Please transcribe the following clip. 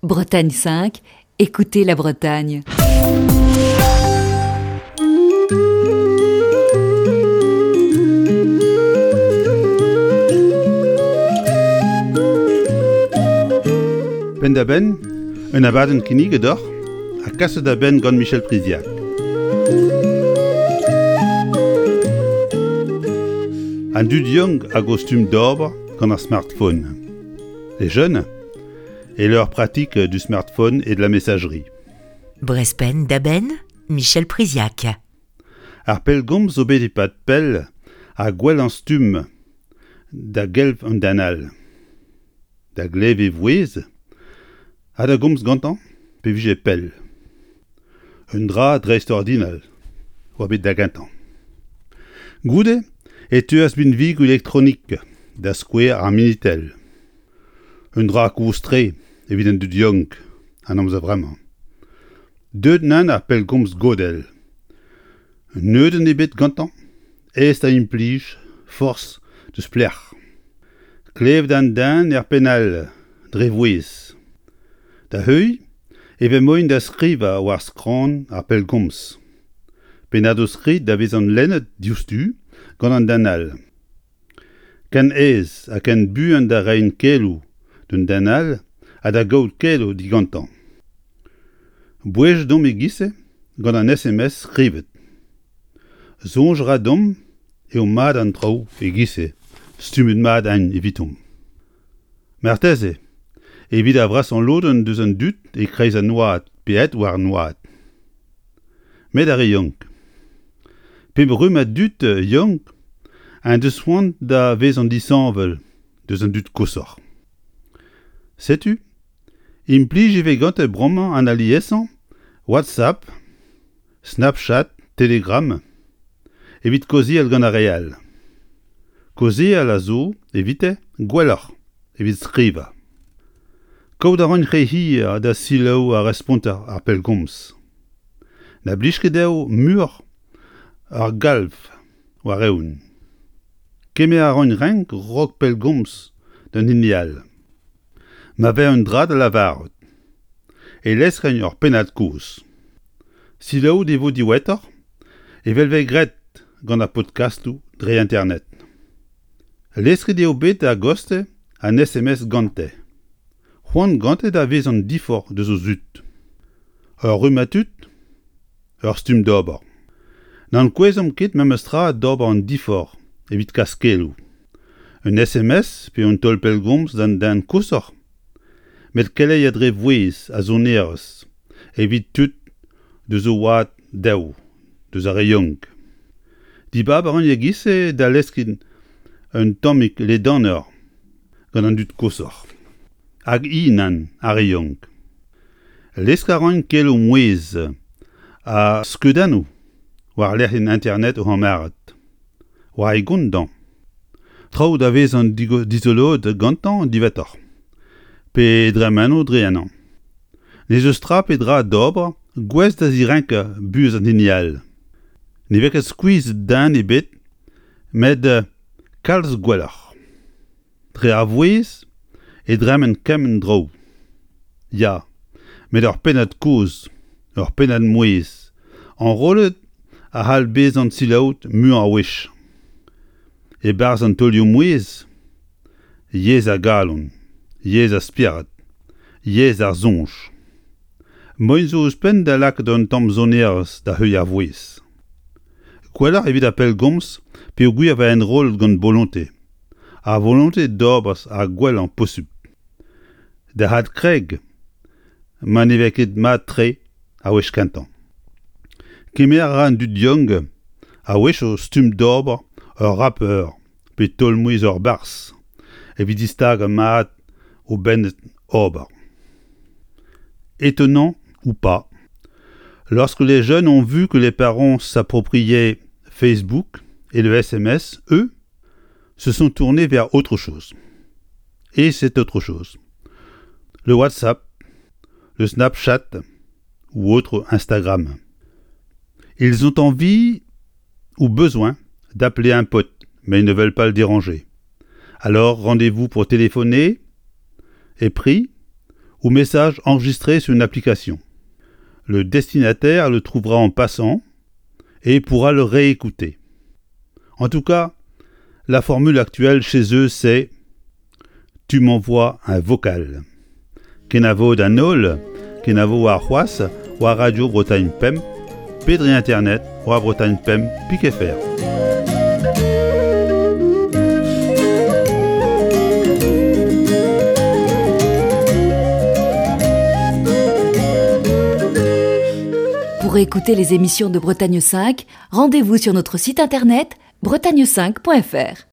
Bretagne 5, écoutez la Bretagne. Penn-da-benn, un abadenn kinniget deoc'h ha kaset da benn gant Michel Priziac. An dud yaouank hag o stumm d'ober gant ar smartphone. Les jeunes et leur pratique du smartphone et de la messagerie. Brezpenn da benn, Michel Priziac. Ar pellgomz zo bet e-pad pell ha gwellañ stumm da gelv an den all. Da glev e vouezh ha da gomz gantañ pe vije pell. Un dra dreistordinal oa bet da gentañ. Goude e teuas binvigoù elektronik, da skouer ar Minitel. Un dra kozh-tre evit an dud yaouank an amzer vremañ. Deuet nann ar pellgomz godell. Neudenn ebet gantañ, aes da implij, forzh deus pelec'h. Klevet an den er penn all, dre vouezh. Da heuilh e vez moaien da skrivañ war skramm ar pellgomz. Pennadoù-skrid da vezañ lennet diouzhtu gant an den all. Ken aes ha ken buan da reiñ keloù d'un den all ha da gaout keloù digantañ. Bouezet omp e-giz-se gant an SMS skrivet. Soñj a ra deomp eo mat an traoù e-giz-se, stummet mat int evitomp. Marteze evit ar vrasañ lodenn deus an dud e-kreiz an oad pe aet war an oad. Met ar re yaouank. Pep rummad dud yaouank en deus c'hoant da vezañ disheñvel deus an dud koshoc'h. Setu, implij e vez gante bremañ an aliesañ WhatsApp, Snapchat, Telegram evit kaozeal gant ar re all. Kaozeal a zo evite gwelloc'h evit skrivañ. Kaout a ran re hir da selaou ar responter ar pellgomz. Na blij ket dezho muioc'h ar galv war-eeun. Kemer a ran renk 'raok pellgomz d'an hini all. Ma vez un dra da lavarout e leskren ur pennad-kozh. Selaouet e vo diwezhatoc'h evel 'vez graet gant ar podkastoù dre internet. Lesket eo bet a-gostez an SMS gante. C'hoant gante da vezañ diforc'h deus o zud. Ur rummad tud, ur stumm d'ober. N'ankouezomp ket memestra d'ober an diforc'h evit kas keloù. Un SMS pe un taol pellgomz d'an den koshoc'h, met keleier dre vouezh ha sonerezh evit tud deus o oad dezho, deus ar re yaouank. Dibab a ran e-giz-se da leskiñ un tammig ledanoc'h gant an dud koshoc'h. Hag i nann, ar re yaouank. Lesk a ran keloù mouezh ha skeudennoù war lec'hienn internet o c'hamarad. War e gont dañ. Traoù da vezañ dizoloet gantañ diwezhatoc'h. Pe dremeno dre ennañ. N'ez eus tra pe dra d'ober gouest da zirenkañ buhez an hini all. Ne vez ket skuizh den ebet met kalz gwelloc'h. Dre ar vouezh e dremen kement draoù. Ya, met ur pennad kozh, ur pennad mouezh, enrollet a c'hall bezañ selaouet muiañ a wech. E-barzh an taolioù-mouezh, yezh ar galon, yezh ar spered, yezh ar soñj. Moaien zo ouzhpenn da lakaat un tamm sonerezh da heuilh ar vouezh. Gwelloc'h evit ar pellgomz peogwir e vez enrollet gant bolontez. Ar volontez d'ober ar gwellañ posupl. Da adkreg ma ne vez ket mat-tre ar wech kentañ. Kemer a ra an dud yaouank a-wechoù stumm d'ober ur rapeur pe taol-mouezh ur barzh evit distagañ mat o benn ober. Étonnant ou pas, lorsque les jeunes ont vu que les parents s'appropriaient Facebook et le SMS, eux, se sont tournés vers autre chose. Et c'est autre chose. Le WhatsApp, le Snapchat ou autre Instagram. Ils ont envie ou besoin d'appeler un pote, mais ils ne veulent pas le déranger. Alors rendez-vous pour téléphoner est pris, ou message enregistré sur une application. Le destinataire le trouvera en passant et pourra le réécouter. En tout cas, la formule actuelle chez eux, c'est Tu m'envoies un vocal. Kenavo d'an holl, kenavo warc'hoazh war Radio Bretagne Pemp pe dre internet war Bretagne Pemp pik fr. Pour écouter les émissions de Bretagne 5, rendez-vous sur notre site internet bretagne5.fr.